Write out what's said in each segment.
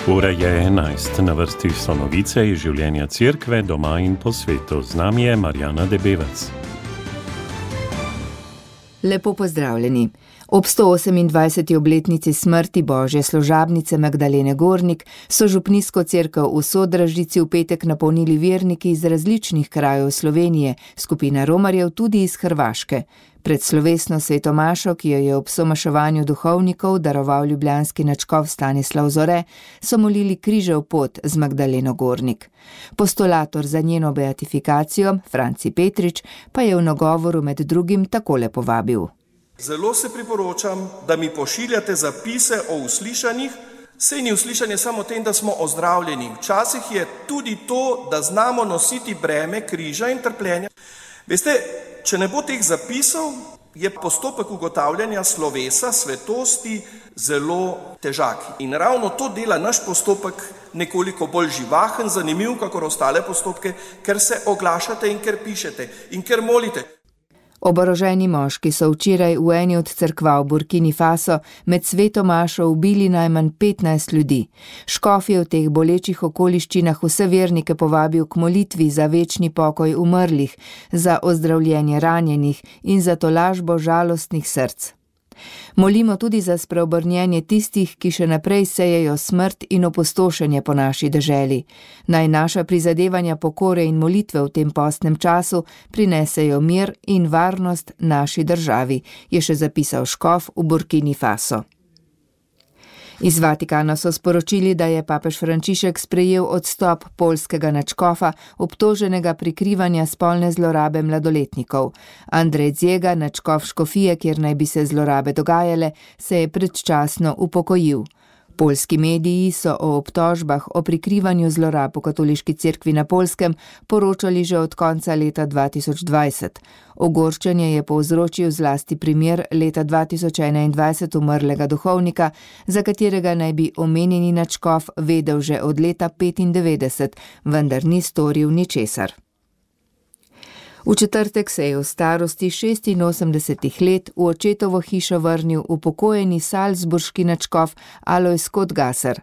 Ura je 11, na vrsti so novice iz življenja cerkve, doma in po svetu. Z nami je Marjana Debevec. Lepo pozdravljeni. Ob 128. obletnici smrti Božje služabnice Magdalene Gornik so župnijsko cerkev v Sodražici v petek napolnili verniki iz različnih krajev Slovenije, skupina romarjev tudi iz Hrvaške. Pred slovesno svetomašo, ki jo je ob somaševanju duhovnikov daroval ljubljanski nadškof Stanislav Zore, so molili križev pot z Magdaleno Gornik. Postulator za njeno beatifikacijo, Franci Petrič, pa je v nagovoru med drugim takole povabil. Zelo se priporočam, da mi pošiljate zapise o uslišanjih. Sej ni uslišanje samo tem, da smo ozdravljeni. Včasih je tudi to, da znamo nositi breme križa in trpljenja. Veste, če ne bo teh zapisov, je postopek ugotavljanja slovesa, svetosti zelo težak. In ravno to dela naš postopek nekoliko bolj živahen, zanimiv, kakor ostale postopke, ker se oglašate in ker pišete in ker molite. Oboroženi moški so včeraj v eni od cerkva v Burkini Faso med svetomašo ubili najmanj 15 ljudi. Škof je v teh bolečih okoliščinah vse vernike povabil k molitvi za večni pokoj umrlih, za ozdravljenje ranjenih in za tolažbo žalostnih src. Molimo tudi za spreobrnjenje tistih, ki še naprej sejejo smrt in opustošenje po naši deželi. Naj naša prizadevanja pokore in molitve v tem postnem času prinesejo mir in varnost naši državi, je še zapisal škof v Burkini Faso. Iz Vatikana so sporočili, da je papež Frančišek sprejel odstop poljskega nadškofa, obtoženega prikrivanja spolne zlorabe mladoletnikov. Andrej Zjega, nadškof škofije, kjer naj bi se zlorabe dogajale, se je predčasno upokojil. Poljski mediji so o obtožbah o prikrivanju zlorab v katoliški cerkvi na Poljskem poročali že od konca leta 2020. Ogorčenje je povzročil zlasti primer leta 2021 umrlega duhovnika, za katerega naj bi omenjeni nadškof vedel že od leta 1995, vendar ni storil ničesar. V četrtek se je v starosti 86 let v očetovo hišo vrnil upokojeni salzburški nadškof Alojz Kotgaser.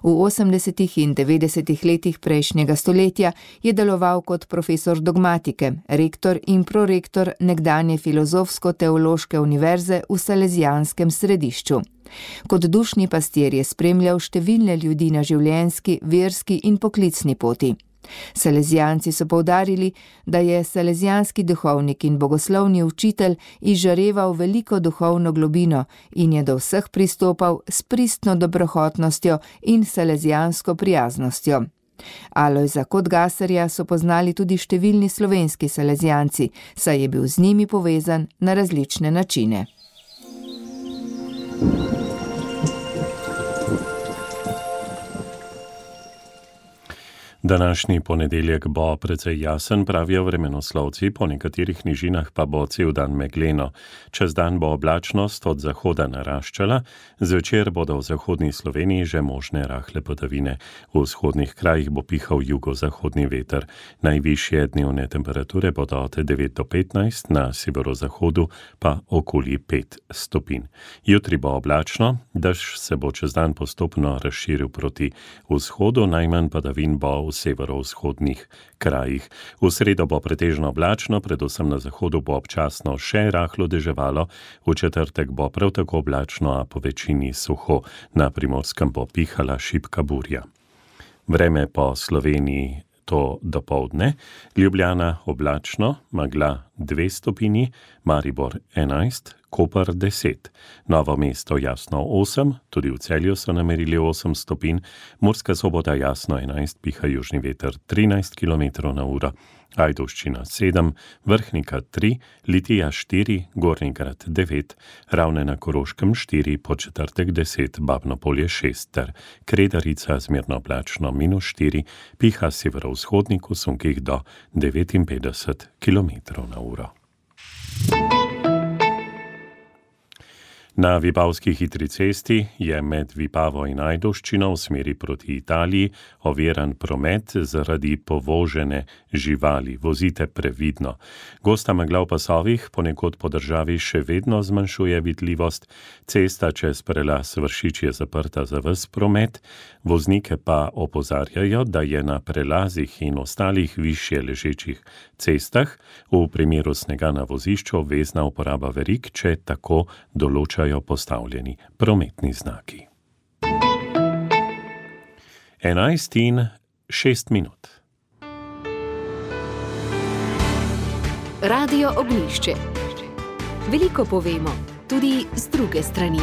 V 80. in 90. letih prejšnjega stoletja je deloval kot profesor dogmatike, rektor in prorektor nekdanje filozofsko-teološke univerze v Salezijanskem središču. Kot dušni pastir je spremljal številne ljudi na življenjski, verski in poklicni poti. Salezijanci so poudarili, da je salezijanski duhovnik in bogoslovni učitelj izžareval veliko duhovno globino in je do vseh pristopal s pristno dobrohotnostjo in salezijansko prijaznostjo. Alojza Kotgaserja so poznali tudi številni slovenski salezijanci, saj je bil z njimi povezan na različne načine. Današnji ponedeljek bo precej jasen, pravijo vremenoslovci, po nekaterih nižinah pa bo cel dan megleno. Čez dan bo oblačnost od zahoda naraščala, zvečer bodo v zahodni Sloveniji že možne rahle padavine. V vzhodnih krajih bo pihal jugozahodni veter. Najvišje dnevne temperature bodo od 9 do 15, na severozahodu pa okoli 5 stopinj. Jutri bo oblačno, dež se bo čez dan postopno razširil proti vzhodu, najmanj padavin bo v severovzhodnih krajih. V sredo bo pretežno oblačno, predvsem na zahodu bo občasno še rahlo deževalo, v četrtek bo prav tako oblačno, a po večini suho, na Primorskem bo pihala šibka burja. Vreme po Sloveniji to dopoldne, Ljubljana oblačno, megla 2 stopinji, Maribor 11, Koper 10, Novo mesto jasno 8, tudi v Celju so namerili 8 stopinj, Murska Sobota jasno 11, piha južni veter 13 km/h, Ajdovščina 7, Vrhnika 3, Litija 4, Gornji Grad 9, Ravne na Koroškem 4, Podčetrtek 10, Babno Polje 6 ter Kredarica zmerno oblačno -4, piha severovzhodnik v sunkih do 59 km/h. Na Vipavski hitri cesti je med Vipavo in Ajdovščino v smeri proti Italiji oviran promet zaradi povožene živali. Vozite previdno. Gosta megla v pasovih ponekod po državi še vedno zmanjšuje vidljivost. Cesta čez prelaz Vršič je zaprta za ves promet. Voznike pa opozarjajo, da je na prelazih in ostalih višje ležečih cestah v primeru snega na vozišču obvezna uporaba verig, če tako določajo postavljeni prometni znaki. 11:06. Radio Ognjišče. Veliko povemo, tudi z druge strani.